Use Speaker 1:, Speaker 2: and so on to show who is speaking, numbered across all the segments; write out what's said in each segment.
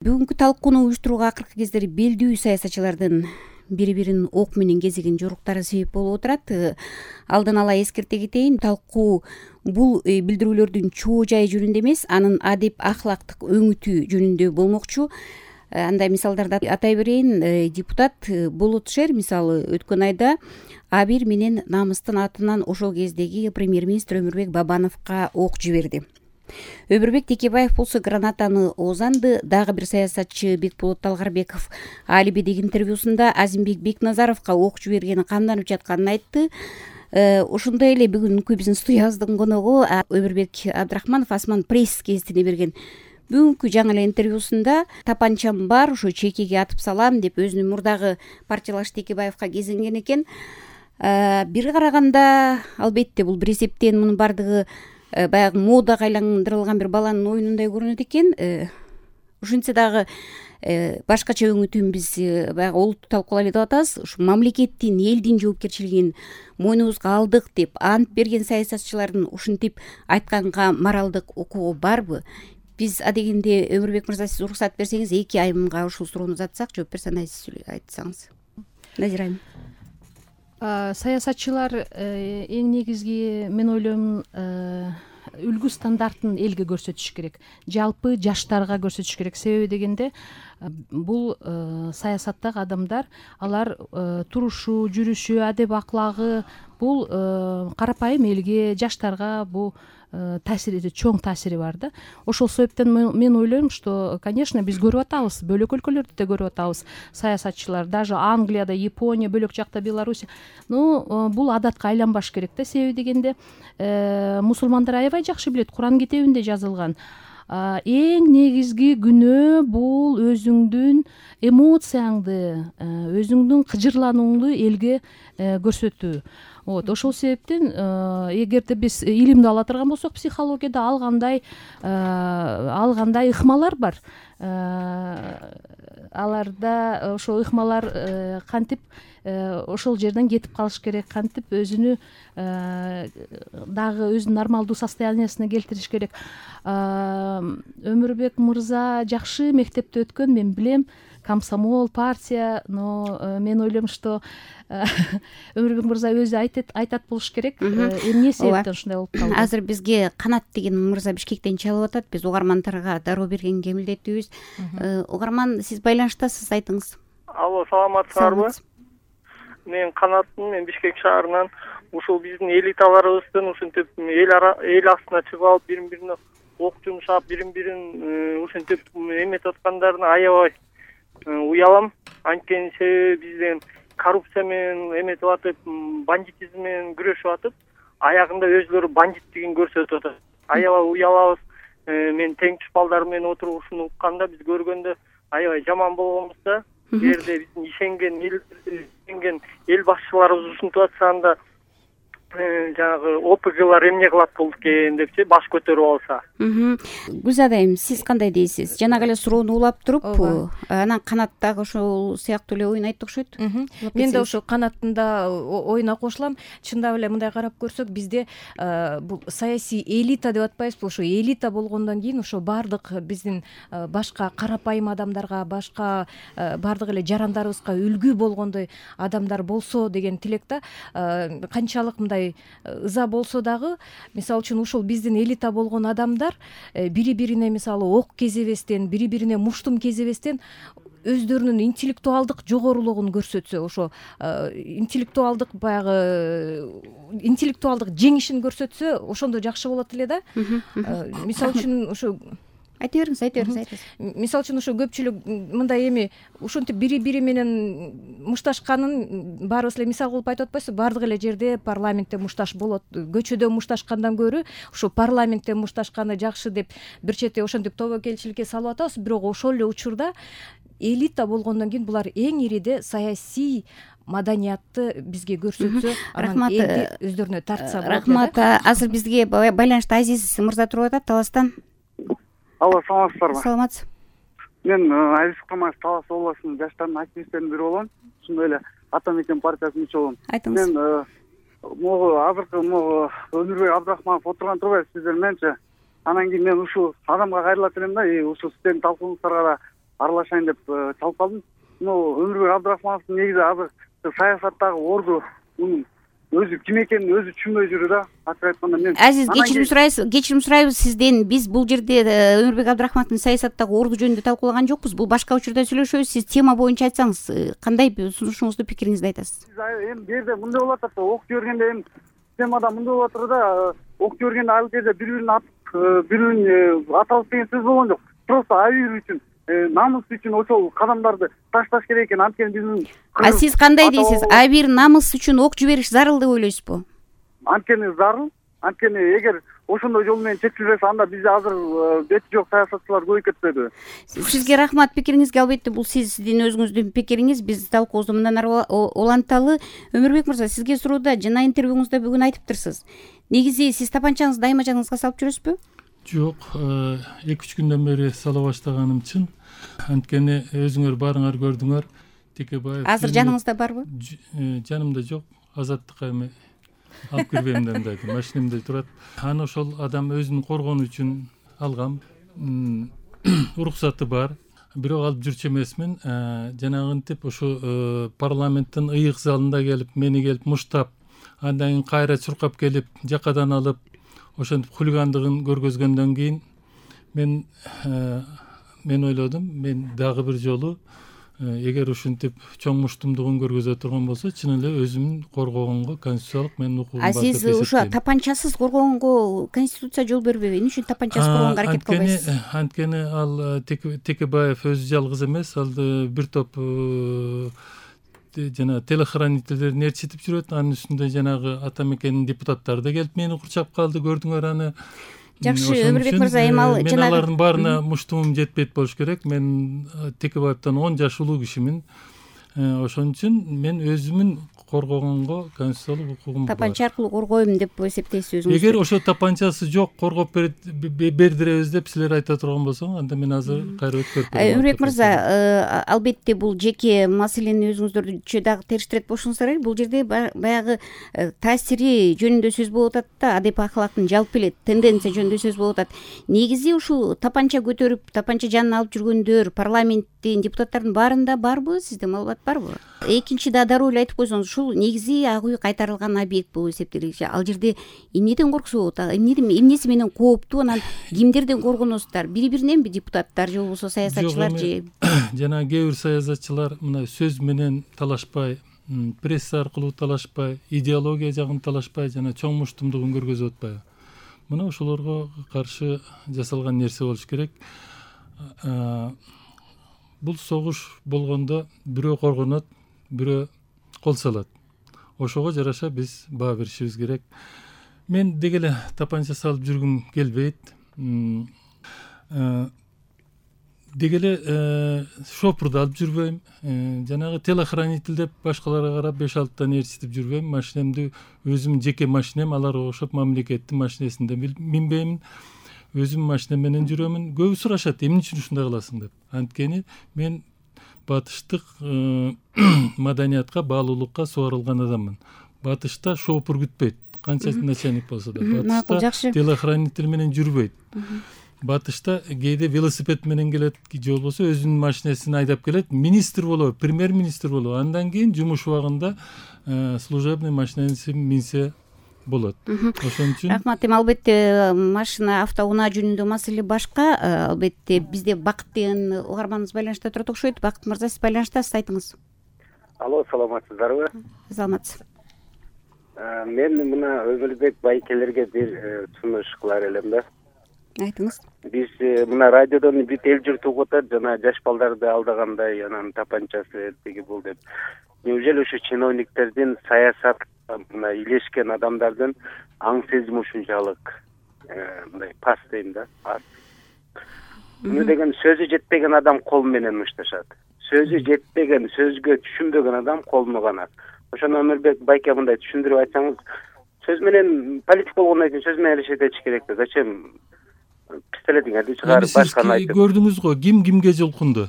Speaker 1: Бүгүнкү талкууну уюштурууга акыркы кездери белдүү саясатчылардын бири бирин ок менен кезеген жоруктары себеп болуп отурат. Алдын ала эскерте кетейин, талкуу бул билдирүүлөрдүн чоо жайы жөнүндө эмес, анын адеп ахлактык өңүтү жөнүндө болмокчу. Андай мисалдарды атай берейин. Депутат Болотшер мисалы өткөн айда Абир менен намыстын атынан ошол кездеги премьер-министр Өмүрбек Бабановго ок жиберди. Өмүрбек Текебаев болсо гранатаны оозанды. Дагы бир саясатчы Бекболот Талгарбеков Алибидеги интервьюсунда Азимбек Бекназаровго ок жибергени камданып жатканын айтты. Ошондой эле бүгүнкү биздин студиябыздын коногу Өмүрбек Абдрахманов Асман пресс гезитине берген бүгүнкү жаңы эле интервьюсунда тапанчам бар, ошо чекеге атып салам деп өзүнүн мурдагы партиялаш Текебаевка кезинген экен. Бир караганда албетте бул бир эсептен мунун бардыгы баягы модага айландырылган бир баланын оюнундай көрүнөт экен. Ошентсе дагы башкача өңүтүн биз баягы олутту талкуулайлы деп атабыз. Ушу мамлекеттин, элдин жоопкерчилигин мойнубузга алдык деп ант берген саясатчылардын ушинтип айтканга моралдык укугу барбы? Биз адегенде Өмүрбек мырза, сиз уруксат берсеңиз 2 айымга ушул суроону узатсак, жооп берсе анан сиз айтсаңыз. Назира айым.
Speaker 2: Саясатчылар эң негизги мен ойлойм үлгү стандартын элге көрсөтүш керек. Жалпы жаштарга көрсөтүш керек. Себеби дегенде бул саясаттагы адамдар, алар турушу, жүрүшү, адеп аклагы бул карапайым элге, жаштарга бул чоң таасири бар да. Ошол себептен мен ойлойм, что, конечно, биз көрүп атабыз, бөлөк өлкөлөрдү да көрүп атабыз. Саясатчылар даже Англияда, Япония, бөлөк жакта Беларусь. Бул адатка айланбаш керек да. Себеби дегенде мусулмандар аябай жакшы билет, Куран китебинде жазылган. Эң негизги күнөө бул өзүңдүн эмоцияңды, өзүңдүн кыжырланууңду элге көрсөтүү. Ошол себептен эгерде биз илимди ала турган болсок, психологияда алгандай ыкмалар бар. Аларда ошол ыкмалар кантип ошол жерден кетип калыш керек, кантип өзүнү дагы өзүнүн нормалдуу состояниясына келтириш керек. Өмүрбек мырза жакшы мектепти өткөн, мен билем, комсомол, партия, но мен ойлойм, что Өмүрбек мырза өзү айтат болуш керек. Эмне себептен ушундай болуп калды?
Speaker 1: Азыр бизге Канат деген мырза Бишкектен чалып атат. Биз угармандарга дароо бергенге милдеттүүбүз. Угарман, сиз байланыштасыз, айтыңыз.
Speaker 3: Алло, саламатсыздарбы? Мен Канаттын, мен Бишкек шаарынан. Ушул биздин элиталарыбыздын ушинтип эл астына чыгып алып, бирин-бирине ок жумшап, бирин-бирин ушинтип эметип аткандарына аябай уялам. Анткени бизден коррупция менен эметип атып, бандитизм менен күрөшүп атып, аягында өзүлөрү бандиттигин көрсөтүп атат. Аябай уялабыз. Мен теңчү балдар менен отуруп ушуну укканда, биз көргөндө аябай жаман болгонбуз да. Жерде биздин ишенген эл башчыларыбыз ушинтип атса, анда жанагы ОПГлар эмне кылат болуп экен депчи, баш көтөрүп алса.
Speaker 1: Гүлзада айым, сиз кандай дейсиз? Жанагы эле суроону улап туруп, анан Канат дагы ошол сыяктуу эле оюн айтты окшойт.
Speaker 4: Мен да ошо Канаттын да оюна кошулам. Чындап эле мындай карап көрсөк, бизде бул саясий элита деп атпайбызбы? Ошо элита болгондон кийин ошо бардык биздин башка карапайым адамдарга, башка бардык эле жарандарыбызга үлгү болгондой адамдар болсо деген тилек да. Канчалык мындай ыза болсо дагы, мисалы үчүн ушул биздин элита болгон адамдар бири-бирине мисалы ок кезебестен, бири-бирине муштум кезебестен өздөрүнүн интеллектуалдык жогорулугун көрсөтсө, ошо интеллектуалдык жеңишин көрсөтсө, ошондо жакшы болот эле да. Мисалы үчүн ошо
Speaker 1: айта бериңиз.
Speaker 4: Мисалы үчүн ошо көпчүлүк мындай эми ушинтип бири-бири менен мушташканын баарыбыз эле мисал кылып айтып атпайсызбы? Бардык эле жерде парламентте мушташ болот. Көчөдө мушташкандан көрө ушу парламентте мушташканы жакшы деп бир чети ошентип тобокелчиликке салып атабыз. Бирок ошол эле учурда элита болгондон кийин булар эң ириде саясий маданиятты бизге көрсөтсө, анан элди өздөрүнө тартса болот.
Speaker 1: Рахмат. Азыр бизге байланышта Азиз мырза туруп атат Таластан.
Speaker 5: Алло, саламатсыздарбы?
Speaker 1: Саламатсыз.
Speaker 5: Мен Азиз Камаев, Талас областынын жаштардын активисттеринин бири болом. Ошондой эле Ата мекен партиясынын мүчө болом.
Speaker 1: Айтыңыз.
Speaker 5: Мен азыркы Өмүрбек Абдрахманов отурган турбайбы сиздер мененчи? Анан кийин мен ушул адамга кайрылат элем да, ушул сиздердин талкууңуздарга да аралашайын деп чалып калдым. Өмүрбек Абдрахмановдун негизи азыр саясаттагы орду мунун өзү ким экенин өзү түшүнбөй жүрү да. Ачык айтканда мен
Speaker 1: Азиз, кечирим сурайбыз сизден. Биз бул жерде Өмүрбек Абдрахмановдун саясаттагы орду жөнүндө талкуулаган жокпуз. Бул башка учурда сүйлөшөбүз. Сиз тема боюнча айтсаңыз, кандай сунушуңузду, пикириңизди айтасыз?
Speaker 5: Эми бу жерде мындай болуп атат да, ок жибергенде эми темада мындай болуп атат да, ок жибергенде ал жерде бири-бирин атып, бири-бирин аталып деген сөз болгон жок. Просто абийир үчүн, намыс үчүн ошол кадамдарды ташташ керек экен. Анткени биздин
Speaker 1: сиз кандай дейсиз? Бир намыс үчүн ок жибериш зарыл деп ойлойсузбу?
Speaker 5: Анткени зарыл. Анткени эгер ошондой жол менен чечилбесе, анда бизде азыр бети жок саясатчылар көбөйүп кетпедиби?
Speaker 1: Сизге рахмат пикириңизге. Албетте бул сиздин өзүңүздүн пикириңиз. Биз талкуубузду мындан ары уланталы. Өмүрбек мырза, сизге суроодо жана интервьюңузда бүгүн айтыптырсыз. Негизи сиз тапанчаңызды айма жаныңызга салып жүрөсүзбү?
Speaker 6: Жок, 2-3 күндөн бери сала баштаганым чын. Анткени өзүңөр баарыңар көрдүңөр, Текебаев.
Speaker 1: Азыр жаныңызда барбы?
Speaker 6: Жанымда жок. Азаттыкка эми алып кирбейм деп айтам. Машинемде турат. Аны ошол адам өзүн коргонуу үчүн алгам. Уруксаты бар. Бирок алып жүрчү эмесмин. Жанагынтип ошо парламенттин ыйык залында келип, мени келип муштап, андан кийин кайра чуркап келип, жакадан алып, ошентип хулигандыгын көргөзгөндөн кийин мен ойлодум, мен дагы бир жолу эгер ушинтип чоң муштумдугун көргөзө турган болсо, чын эле өзүмүн коргогонго конституциялык менин укугум бар деп эсептейм.
Speaker 1: Сиз ушу тапанчасыз коргогонго конституция жол бербейби? Эмне үчүн тапанчасыз коргогонго аракет кылбайсыз?
Speaker 6: Анткени ал Текебаев өзү жалгыз эмес, ал бир топ жана телохранительдерин ээрчитип жүрөт. Анын үстүндө жанагы ата мекенин депутаттары да келип мени курчап калды, көрдүңөр аны.
Speaker 1: Жакшы, Өмүрбек мырза, эми ал
Speaker 6: мен алардын баарына муштумум жетпейт болуш керек. Мен Текебаевден 10 жаш улуу кишимин. Ошон үчүн мен өзүмүн коргогонго конституциялык укугум бар.
Speaker 1: Тапанча аркылуу коргойм деп эсептейсиз өзүңүз?
Speaker 6: Эгер ошо тапанчасы жок, коргоп бердиребиз деп силер айта турган болсоңуз, анда мен азыр кайра өткөрүп берем.
Speaker 1: Өмүрбек мырза, албетте бул жеке маселени өзүңүздөрчү дагы териштирет болушуңуз керек. Бул жерде баягы таасири жөнүндө сөз болуп атат да, адеп ахлактын жалпы эле тенденция жөнүндө сөз болуп атат. Негизи ушул тапанча көтөрүп, тапанча жанын алып жүргөндөр парламенттин депутаттардын баарында барбы? Сизде маалымат барбы? Экинчи да дароо эле айтып койсоңуз, ушул негизи ак үй кайтарылган объект болуп эсептелет. Ал жерде эмнеден корксо болот? Эмнеси менен кооптуу? Анан кимдерден коргоносуздар? Бири-бириненби депутаттар же болбосо саясатчылар же?
Speaker 6: Жана кээ бир саясатчылар мына сөз менен талашпай, пресса аркылуу талашпай, идеология жагын талашпай, жана чоң муштумдугун көргөзүп атпайбы? Мына ошолорго каршы жасалган нерсе болуш керек. Бул согуш болгондо бирөө коргонот, бирөө кол салат. Ошого жараша биз баа беришибиз керек. Мен деги эле тапанча салып жүргүм келбейт. Деги эле шопурду алып жүрбөйм. Жанагы телохранитель деп башкаларга карап 5-6 ээрчитип жүрбөйм. Машинемди өзүм жеке машинем, аларга окшоп мамлекеттин машинесинде минбеймин. Өзүм машинем менен жүрөмүн. Көбү сурашат, эмне үчүн ушундай кыласың деп. Анткени мен батыштык маданиятка, баалуулукка суарылган адаммын. Батышта шопур күтпөйт, канча начальник болсо да. Батышта телохранитель менен жүрбөйт. Батышта кээде велосипед менен келет, же болбосо өзүнүн машинесин айдап келет, министр болобу, премьер-министр болобу. Андан кийин жумуш убагында служебный машинесин минсе болот. Ошон үчүн
Speaker 1: рахмат. Эми албетте машина, автоунаа жөнүндө маселе башка. Албетте бизде Бакыт деген угарманыбыз байланышта турат окшойт. Бакыт мырза, сиз байланыштасыз, айтыңыз.
Speaker 7: Алло, саламатсыздарбы?
Speaker 1: Саламатсыз.
Speaker 7: Мен мына Өмүрбек байкелерге бир сунуш кылар элем да.
Speaker 1: Айтыңыз.
Speaker 7: Биз мына радиодон бүт эл журт угуп атат, жана жаш балдарды алдагандай, анан тапанчасы тиги бул деп. Неужели ушу чиновниктердин саясат мына илешкен адамдардын аң сезими ушунчалык мындай пас дейм да, аз. Муну деген сөзү жетпеген адам кол менен мушташат. Сөзү жетпеген, сөзгө түшүнбөгөн адам колуну канат. Ошону Өмүрбек байке мындай түшүндүрүп айтсаңыз, сөз менен политик болгондон кийин сөз менен эле этиш керек да. Зачем пистолетиңерди чыгарып башканы айтып?
Speaker 6: Көрдүңүз го, ким кимге жолкунду?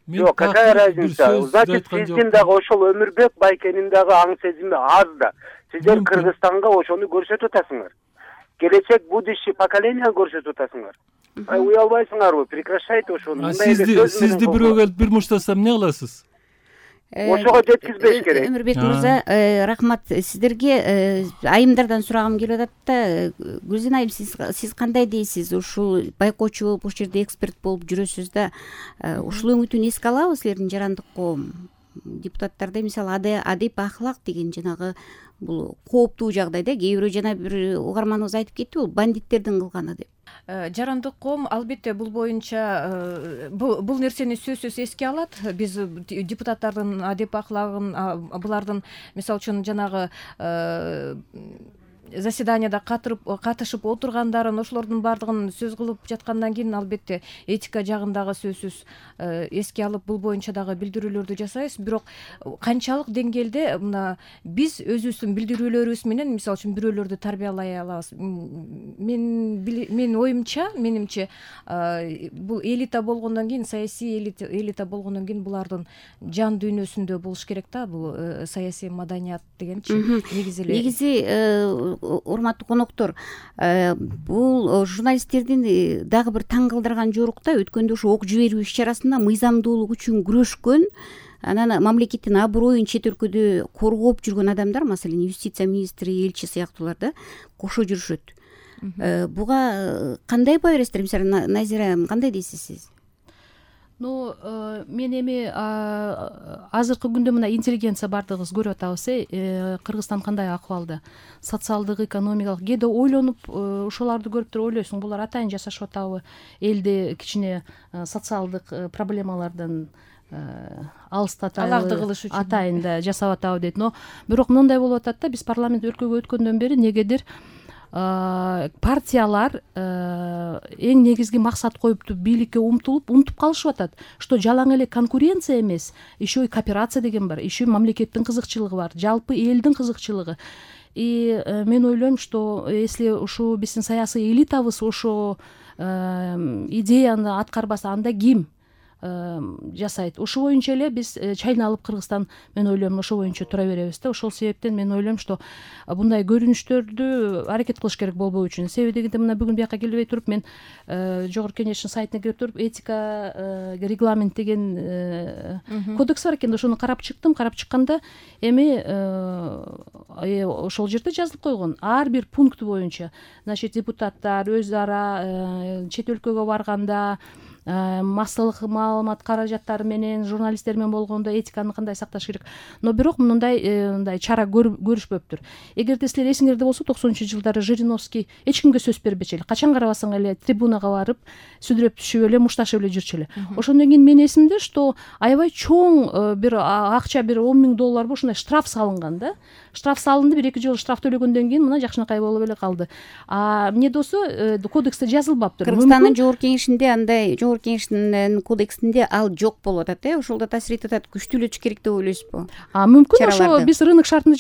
Speaker 7: Жок, какая разница? Значит, сиздин дагы ошол Өмүрбек байкенин дагы аң сезими аз да. Сиздер Кыргызстанга ошону көрсөтүп атасыңар. Келечек будущий поколение көрсөтүп атасыңар. уялбайсыңарбы? Прекращайте ошону.
Speaker 6: Сизди бирөөгө келип бир муштасам эмне кыласыз?
Speaker 7: Ошого жеткизбеш керек.
Speaker 1: Өмүрбек мырза, рахмат сиздерге. Айымдардан сурагым келип атат да. Гүлзен айым, сиз кандай дейсиз? Ушул байкоочу болуп, ушул жерде эксперт болуп жүрөсүз да. Ушул өңүтүн эске алабы силердин жарандык коом? Депутаттарда мисалы адеп ахлак деген жанагы бул кооптуу жагдайда кээ бирөө жана бир угарманыбыз айтып кетти, бул бандиттердин кылганы деп.
Speaker 4: Жарандык коом албетте бул боюнча бул нерсени сөзсүз эске алат. Биз депутаттардын адеп ахлагын, булардын мисалы үчүн жанагы заседанияда катышып отургандарын, ошолордун баардыгын сөз кылып жаткандан кийин албетте этика жагын дагы сөзсүз эске алып бул боюнча дагы билдирүүлөрдү жасайбыз. Бирок канчалык деңгээлде мына биз өзүбүздүн билдирүүлөрүбүз менен мисалы үчүн бирөөлөрдү тарбиялай алабыз? Менин оюмча, менимче бул элита болгондон кийин, саясий элита болгондон кийин булардын жан дүйнөсүндө болуш керек да, бул саясий маданият дегенчи. Негизи
Speaker 1: урматтуу коноктор, бул журналисттердин дагы бир таң калтырган жорукта өткөндө ошо ок жиберүү иш чарасында мыйзамдуулук үчүн күрөшкөн, анан мамлекеттин аброюн чет өлкөдө коргоп жүргөн адамдар, маселен юстиция министри, элчи сыяктуулар да кошо жүрүшөт. Буга кандай баа бересиздер? Мисалы Назира, кандай дейсиз сиз?
Speaker 2: Мен эми азыркы күндө мына интеллигенция баардыгыбыз көрүп атабыз. Кыргызстан кандай акыбалда? Социалдык, экономикалык. Кээде ойлонуп ошолорду көрүп туруп ойлойсуң, булар атайын жашашып атабы? Элди кичине социалдык проблемалардан алыстаталы атайын да жасап атабы дейт. Но бирок мындай болуп атат да, биз парламент өлкөгө өткөндөн бери негедир партиялар эң негизги максат коюпту бийликке унутуп калышып атат, что жалаң эле конкуренция эмес, еще и кооперация деген бар, еще мамлекеттин кызыкчылыгы бар, жалпы элдин кызыкчылыгы. И мен ойлойм, что если ушу биздин саясий элитабыз ошо идеяны аткарбаса, анда ким жасайт? Ошо боюнча эле биз чайналып Кыргызстан, мен ойлойм, ошо боюнча тура беребиз да. Ошол себептен мен ойлойм, что мындай көрүнүштөрдү аракет кылыш керек болбоо үчүн. Себеби дегенде мына бүгүн бияка келбей туруп мен Жогорку Кеңештин сайтына кирип туруп этика регламент деген кодекс бар экен, ошону карап чыктым. Карап чыкканда эми ошол жерде жазылып койгон ар бир пункт боюнча, значит, депутаттар өз ара чет өлкөгө барганда массалык маалымат каражаттары менен, журналисттер менен болгондо этиканы кандай сакташ керек. Но бирок мындай чара көрүшпөптүр. Эгерде силер эсиңерде болсо, 90-жылдары Жириновский эч кимге сөз бербечү эле. Качан карабасаң эле трибунага барып, сүдүрөп түшүп эле, мушташып эле жүрчү эле. Ошондон кийин мен эсимде, что аябай чоң бир акча, бир $10,000 ушундай штраф салынган да. Штраф салынды, 1-2 жолу штраф төлөгөндөн кийин мына жакшынакай болуп эле калды. Эмне болсо кодексте жазылбаптыр.
Speaker 1: Кыргызстандын Жогорку Кеңешинде андай Кеңештин кодексинде ал жок болуп атат, ошол да таасир этип атат. Күчтүүлөтүш керек деп ойлойсузбу?
Speaker 2: Мүмкүн ошо биз рынок шартында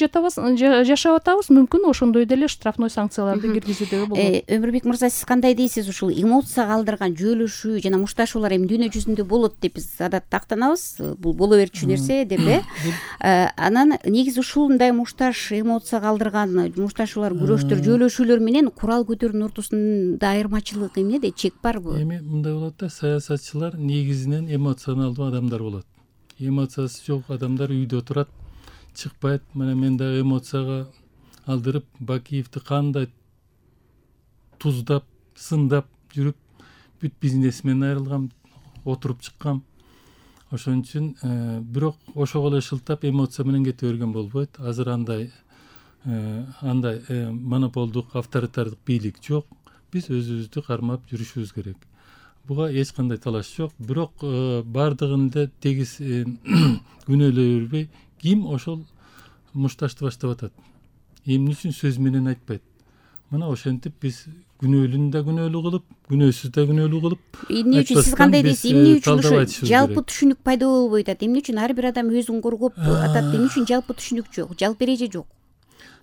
Speaker 2: жашап атабыз, мүмкүн ошондой деле штрафной санкцияларды киргизүүдө болот.
Speaker 1: Өмүрбек мырза, сиз кандай дейсиз? Ушул эмоция калтырган жөлөшүү жана мушташуулар эми дүйнө жүзүндө болот деп биз адатта тактанабыз. Бул боло берчү нерсе деп Анан негизи ушундай мушташ, эмоция калтырган мушташуулар, күрөштөр, жөлөшүүлөр менен курал көтөрүүнүн ортосунда айырмачылык эмнеде? Чек барбы?
Speaker 6: Эми мындай болот да, саясатчылар негизинен эмоционалдуу адамдар болот. Эмоциясы жок адамдар үйдө турат, чыкпайт. Мына мен дагы эмоцияга алдырып Бакиевди кандай туздап, сындап жүрүп, бүт бизнесмен айрылгам, отуруп чыккам. Ошон үчүн бирок ошого эле шылтап эмоция менен кете берген болбойт. Азыр андай монополдук, авторитардык бийлик жок. Биз өзүбүздү кармап жүрүшүбүз керек. Буга эч кандай талаш жок. Бирок бардыгын да тегиз күнөөлөй бербей, ким ошол мушташты баштап атат? Эмне үчүн сөз менен айтпайт? Мына ошентип биз күнөөлүн да күнөөлүү кылып, күнөөсүз да күнөөлүү кылып.
Speaker 1: Эмне үчүн сиз кандай дейсиз? Эмне үчүн ошо жалпы түшүнүк пайда болбой атат? Эмне үчүн ар бир адам өзүн коргоп атат? Эмне үчүн жалпы түшүнүк жок? Жалпы эреже жок?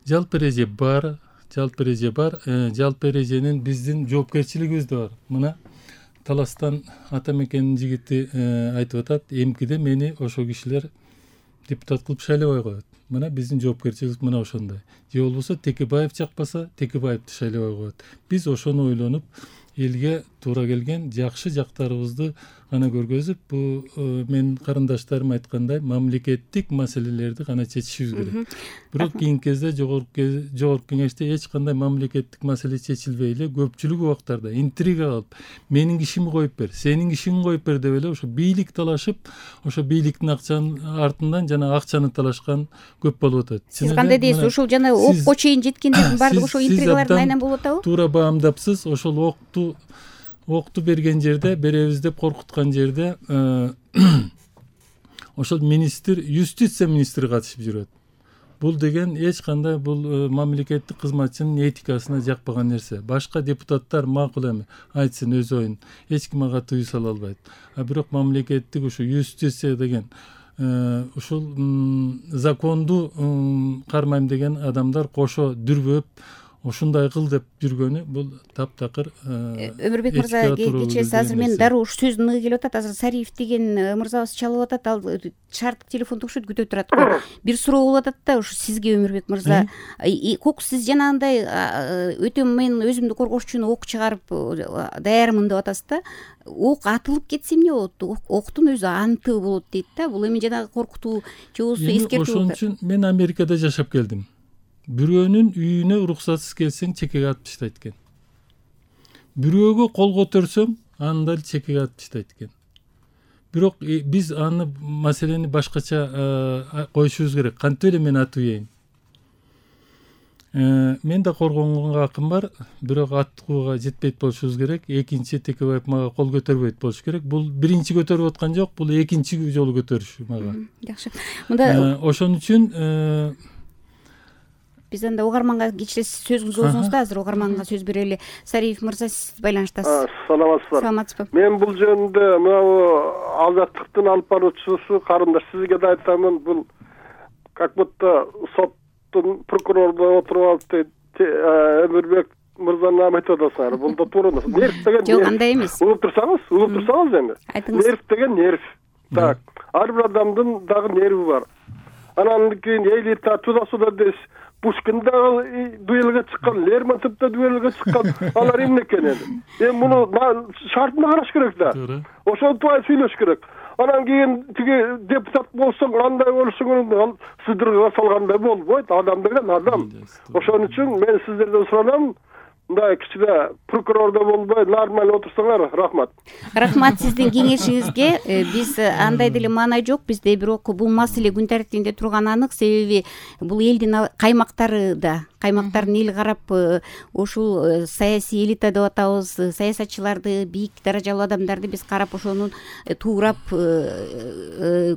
Speaker 6: Жалпы эреже бар. Жалпы эреженин биздин жоопкерчилигибиз да бар. Мына Таластан ата мекенин жигити айтып атат, эмкиде мени ошо кишилер депутат кылып шайлабай коет. Мына биздин жоопкерчилик мына ошондой. Же болбосо Текебаев чакпаса, Текебаевди шайлабай коет. Биз ошону ойлонуп, элге туура келген жакшы жактарыбызды гана көргөзүп, бул менин карындаштарым айткандай мамлекеттик маселелерди гана чечишибиз керек. Бирок кийинки кезде жогорку кеңеште эч кандай мамлекеттик маселе чечилбей эле көпчүлүк убактарда интрига кылып, менин кишими коюп бер, сенин кишиңи коюп бер деп эле ошо бийлик талашып, ошо бийликтин артынан жана акчаны талашкан көп болуп атат.
Speaker 1: Сиз кандай дейсиз? Ушул жана окко чейин жеткендердин баардыгы ошо интригалардын айынан болуп атабы?
Speaker 6: Туура баамдапсыз. Ошол окту берген жерде, беребиз деп коркуткан жерде ошол министр, юстиция министри катышып жүрөт. Бул деген эч кандай бул мамлекеттик кызматчынын этикасына жакпаган нерсе. Башка депутаттар макул эми, айтсын өз оюн. Эч ким ага тыюу сала албайт. Бирок мамлекеттик ушу юстиция деген ушул законду кармайм деген адамдар кошо дүрбөп ушундай кыл деп жүргөнү бул таптакыр.
Speaker 1: Өмүрбек мырза, кечээ азыр мен дароо ушу сөздүн ыгы келип атат. Азыр Сариев деген мырзабыз чалып атат, ал шарттык телефондо окшойт, күтүп турат го. Бир суроо болуп атат да, ушу сизге Өмүрбек мырза. Сиз жанагындай өтө мен өзүмдү коргош үчүн ок чыгарып даярмын деп атасыз да. Ок атылып кетсе эмне болот? Октун өзү анты болот дейт да. Бул эми жанагы коркутуу же болбосо эскертүү болот.
Speaker 6: Ошон үчүн мен Америкада жашап келдим. Бирөөнүн үйүнө уруксатсыз келсең чекеге атып таштайт экен. Бирөөгө кол көтөрсөң, аны да чекеге атып таштайт экен. Бирок биз аны маселени башкача коюшубуз керек. Кантип эле мен атып ийин? Мен да коргонгонго акым бар, бирок атууга жетпейт болушубуз керек. Экинчи Текебаев мага кол көтөрбөйт болуш керек. Бул биринчи көтөрүп аткан жок, бул экинчи жолу көтөрүш мага.
Speaker 1: Жакшы. Мында
Speaker 6: ошон үчүн
Speaker 1: биз анда угарманга кичине сөзүңүздү өзүңүз да азыр угарманга сөз берели. Сариев мырза, сиз байланыштасыз.
Speaker 8: Саламатсызбы? Мен бул жөнүндө мына азаттыктын алып баруучусу карындаш сизге да айтамын, бул как будто соттун прокурордо отуруп алып Өмүрбек мырзаны айтып атасыңар. Бул да туура эмес. Нерв деген
Speaker 1: жок, андай эмес.
Speaker 8: Угуп турсаңыз эми. Нерв деген нерв. Так, ар бир адамдын дагы нерви бар. Анан кийин элита туда-суда дейсиз. Пушкин дагы дуэлге чыккан, Лермонтов да дуэлге чыккан. Алар эмне экен эми? Эми муну шартына караш керек да. Ошентип сүйлөш керек. Анан кийин тиги депутат болсоң, кандай болушуң, сыдырга салгандай болбойт. Адам деген адам. Ошон үчүн мен сиздерден суранам, мындай кичине прокурордо болбой, нормально отурсаңар. Рахмат.
Speaker 1: Рахмат сиздин кеңешиңизге. Биз андай деле маанай жок бизде, бирок бул маселе күн тартибинде турганы анык. Себеби бул элдин каймактары да, каймактардын эл карап ушул саясий элита деп атабыз, саясатчыларды, бийик даражалуу адамдарды биз карап ошонун туурап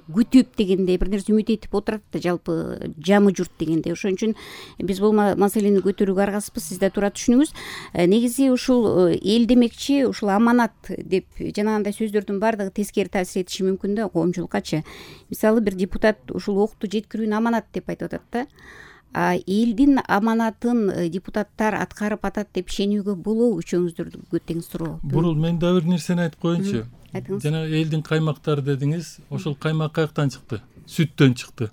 Speaker 1: күтүп дегендей бир нерсе үмүт этип отурат да, жалпы жамы журт дегендей. Ошон үчүн биз бул маселени көтөрүүгө аргасызбыз. Сиз да туура түшүнүңүз. Негизи ушул эл демекчи, ушул аманат деп жанагындай сөздөрдүн баардыгы тескери таасир этиши мүмкүн да коомчулуккачы. Мисалы бир депутат ушул окту жеткирүүнү аманат деп айтып атат да. Элдин аманатын депутаттар аткарып атат деп ишенүүгө болобу? Үчөөңүздөргө тең суроо.
Speaker 6: Бурул, мен да бир нерсени айтып коеюнчу.
Speaker 1: Айтыңыз.
Speaker 6: Жана элдин каймактары дедиңиз, ошол каймак каяктан чыкты? Сүттөн чыкты.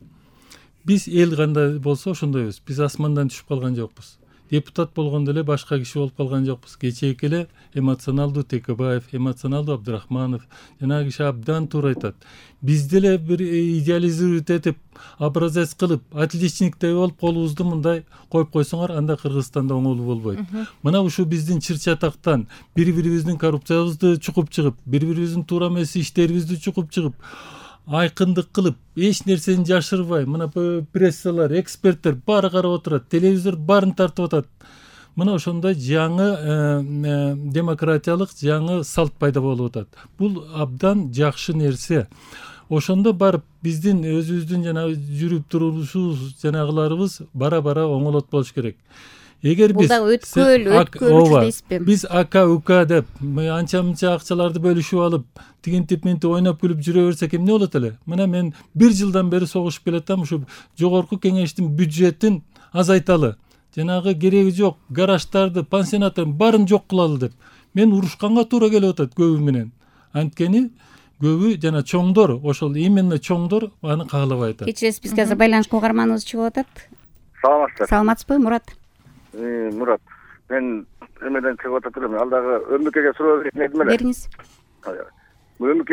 Speaker 6: Биз эл кандай болсо ошондойбуз. Биз асмандан түшүп калган жокпуз. Депутат болгондо эле башка киши болуп калган жокпуз. Кечээки эле эмоционалдуу Текебаев, эмоционалдуу Абдрахманов, жанагы киши абдан туура айтат. Биз деле бир идеализировать этип, образец кылып, отличниктей болуп колубузду мындай коюп койсоңор, анда Кыргызстанда оңолуу болбойт. Мына ушу биздин чыр-чатактан бири-бирибиздин коррупциябызды чукуп чыгып, бири-бирибиздин туура эмес иштерибизди чукуп чыгып, айкындык кылып, эч нерсени жашырбай, мына прессалар, эксперттер баары карап отурат, телевизор баарын тартып атат. Мына ошондой жаңы демократиялык жаңы салт пайда болуп атат. Бул абдан жакшы нерсе. Ошондо барып биздин өзүбүздүн жанагы жүрүп турушубуз, жанагыларыбыз бара-бара оңолот болуш керек. Эгер биз биз ака ука деп анча-мынча акчаларды бөлүшүп алып, тигинтип мынтип ойноп күлүп жүрө берсек эмне болот эле? Мына мен 1 жылдан бери согушуп келатам, ушу жогорку кеңештин бюджетин азайталы. Жанагы кереги жок гараждарды, пансионаттарды баарын жок кылалы деп. Мен урушканга туура келип атат көбү менен. Анткени көбү жана чоңдор, ошол именно чоңдор аны каалабай атат.
Speaker 1: Кечиресиз, бизге азыр байланышка угарманыбыз чыгып атат.
Speaker 9: Саламатсызбы?
Speaker 1: Саламатсызбы, Мурат?
Speaker 9: Мурат, мен эмеден чыгып атат элем. Ал дагы ӨМКге суроо берейин дедим эле.
Speaker 1: Бериңиз.
Speaker 9: ÖMК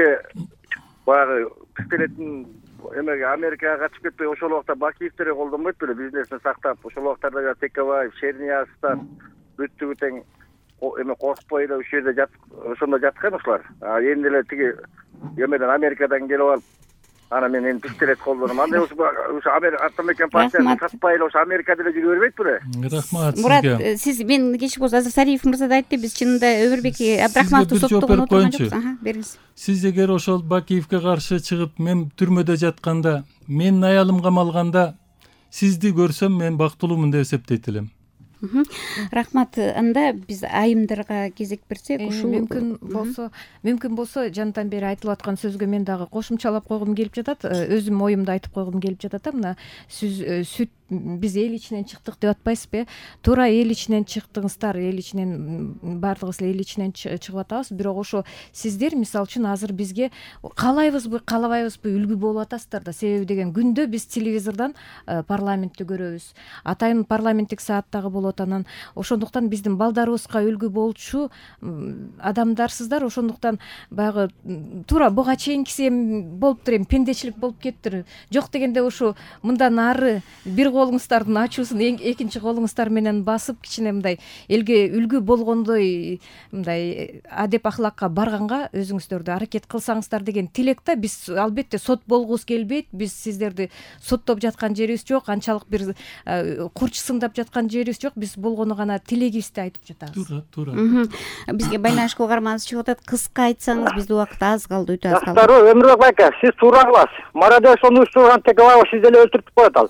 Speaker 9: баягы пистолеттин эмеге Америкага качып кетпей ошол убакта Бакиевдерди колдонбойт беле, бизнесин сактап. Ошол убактарда Текебаев, Черниязовдор бүттүгү тең эме коркпой эле ушул жерде ошондо жаткан ушулар. Эми эле тиги эмеден Америкадан келип алып, ана мен эми пистолет колдоном. Андай ушу Атамекен партиясын сатпай эле ошо Америкада эле жүрө бербейт беле?
Speaker 6: Рахмат сизге.
Speaker 1: Мурат, сиз мен кечик болсо азыр Сариев мырза да айтты, биз чынында Өмүрбек Абдрахмановду соттогон отурган жокпуз. Бериңиз.
Speaker 6: Сиз эгер ошол Бакиевге каршы чыгып, мен түрмөдө жатканда, менин аялым камалганда сизди көрсөм мен бактылуумун деп эсептейт элем.
Speaker 1: Рахмат. Анда биз айымдарга кезек берсек, ушул
Speaker 4: мүмкүн болсо жандан бери айтылып аткан сөзгө мен дагы кошумчалап койгум келип жатат. Өзүм оюмду айтып койгум келип жатат. Мына сүт биз эл ичинен чыктык деп атпайсызбы? Туура эл ичинен чыктыңыздар, эл ичинен баардыгыбыз эл ичинен чыгып атабыз. Бирок ошо сиздер мисалы үчүн азыр бизге каалайбызбы, каалабайбызбы үлгү болуп атасыздар да. Себеби деген күндө биз телевизордон парламентти көрөбүз. Атайын парламенттик сааттагы болот. Анан ошондуктан биздин балдарыбызга үлгү болчу адамдарсыздар. Ошондуктан баягы туура буга чейинкиси эми болуптур, эми пендечилик болуп кетиптир. Жок дегенде ушу мындан ары бир колуңуздардын ачуусун экинчи колуңуздар менен басып, кичине мындай элге үлгү болгондой мындай адеп ахлакка барганга өзүңүздөрдү аракет кылсаңыздар деген тилек да. Биз албетте сот болгубуз келбейт. Биз сиздерди соттоп жаткан жерибиз жок, анчалык бир курч сындап жаткан жерибиз жок. Биз болгону гана тилегибизди айтып жатабыз.
Speaker 6: Туура.
Speaker 1: Бизге байланышка угарманыбыз чыгып атат. Кыска айтсаңыз, бизде убакыт аз калды, өтө аз калды.
Speaker 10: Жактарбы, Өмүрбек байка, сиз туура кыласыз. Марадешону уюштурган Текебаев сиз деле өлтүрүп коет ал.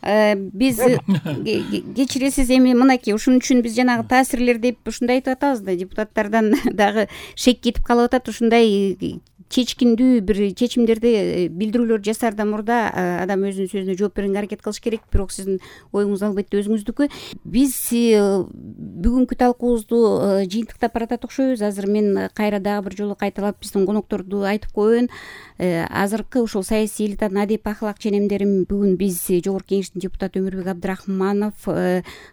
Speaker 1: Биз кечиресиз, эми мынакей ушун үчүн биз жанагы таасирлер деп ушундай айтып атабыз да, депутаттардан дагы шек кетип калып атат. Ушундай чечкиндүү бир чечимдерди, билдирүүлөр жасаардан мурда адам өзүнүн сөзүнө жооп берүүгө аракет кылыш керек. Бирок сиздин оюңуз албетте өзүңүздүкү. Биз бүгүнкү талкуубузду жыйынтыктап баратат окшойбуз. Азыр мен кайра дагы бир жолу кайталап биздин конокторду айтып коеюн. Азыркы ушул саясий элитанын адеп ахлак ченемдерин бүгүн биз Жогорку Кеңештин депутаты Өмүрбек Абдрахманов,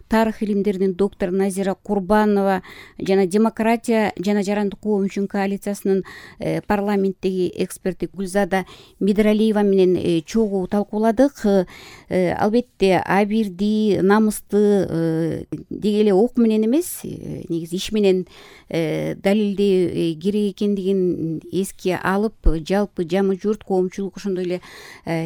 Speaker 1: тарых илимдеринин доктору Назира Курбанова жана демократия жана жарандык куу үчүн коалициясынын парламенттеги эксперти Гүлзада Медиралиева менен чогуу талкууладык. Албетте абийирди, намысты деги эле ок менен эмес, негизи иш менен далилдөө керек экендигин эске алып, жалпы жамы журт, коомчулук, ошондой эле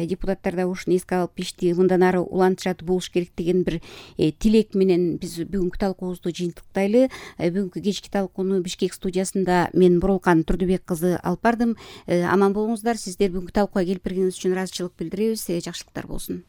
Speaker 1: депутаттар да ушуну эске алып ишти мындан ары улантышат болуш керек деген бир тилек менен биз бүгүнкү талкуубузду жыйынтыктайлы. Бүгүнкү кечки талкууну Бишкек студиясында мен Бурулкан Турдубек кызы алып бардым. Аман болуңуздар. Сиздер бүгүнкү талкууга келип бергениңиз үчүн ыраазычылык билдиребиз. Жакшылыктар болсун.